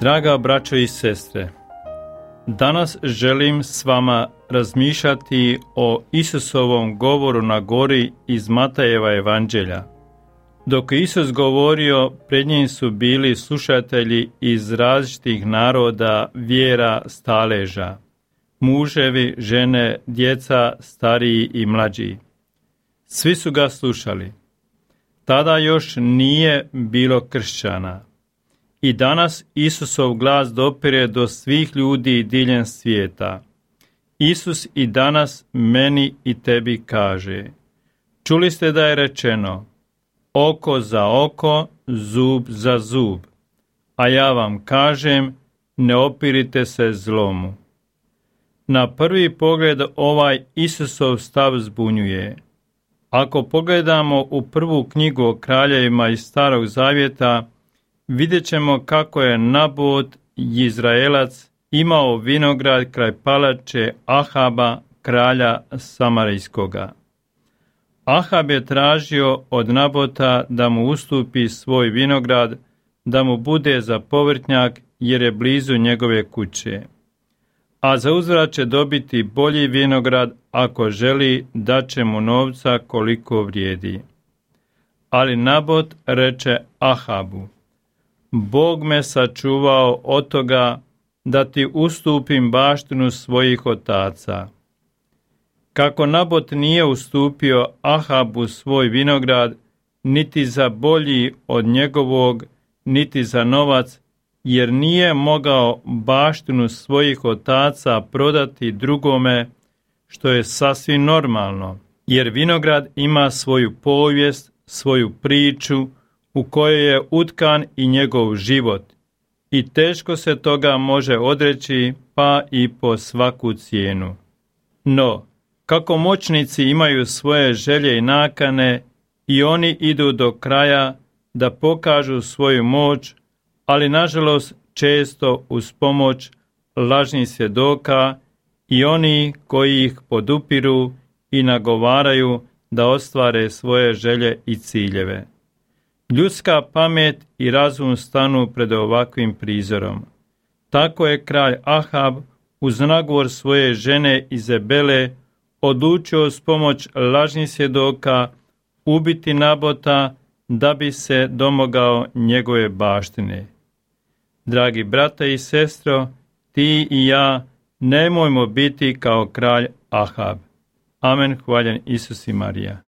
Draga braćo i sestre, danas želim s vama razmišljati o Isusovom govoru na gori iz Matajeva evanđelja. Dok je Isus govorio, pred njim su bili slušatelji iz različitih naroda, vjera, staleža, muževi, žene, djeca, stariji i mlađi. Svi su ga slušali. Tada još nije bilo kršćana. I danas Isusov glas dopire do svih ljudi diljem svijeta. Isus i danas meni i tebi kaže: čuli ste da je rečeno, oko za oko, zub za zub. A ja vam kažem, ne opirite se zlomu. Na prvi pogled ovaj Isusov stav zbunjuje. Ako pogledamo u prvu knjigu o kraljevima iz Starog Zavjeta, vidjet ćemo kako je Nabot, Izraelac, imao vinograd kraj palače Ahaba, kralja Samarijskoga. Ahab je tražio od Nabota da mu ustupi svoj vinograd, da mu bude za povrtnjak jer je blizu njegove kuće. A za uzvrat će dobiti bolji vinograd ako želi, dat će mu novca koliko vrijedi. Ali Nabot reče Ahabu: Bog me sačuvao od toga da ti ustupim baštinu svojih otaca. Kako Nabot nije ustupio Ahabu svoj vinograd, niti za bolji od njegovog, niti za novac, jer nije mogao baštinu svojih otaca prodati drugome, što je sasvim normalno, jer vinograd ima svoju povijest, svoju priču, u kojoj je utkan i njegov život, i teško se toga može odreći, pa i po svaku cijenu. No, kako moćnici imaju svoje želje i nakane, i oni idu do kraja da pokažu svoju moć, ali nažalost često uz pomoć lažnih svjedoka i oni koji ih podupiru i nagovaraju da ostvare svoje želje i ciljeve. Ljudska pamet i razum stanu pred ovakvim prizorom. Tako je kralj Ahab uz nagovor svoje žene Izabele odlučio s pomoć lažnih svjedoka ubiti Nabota da bi se domogao njegove baštine. Dragi brate i sestro, ti i ja nemojmo biti kao kralj Ahab. Amen, hvaljen Isus i Marija.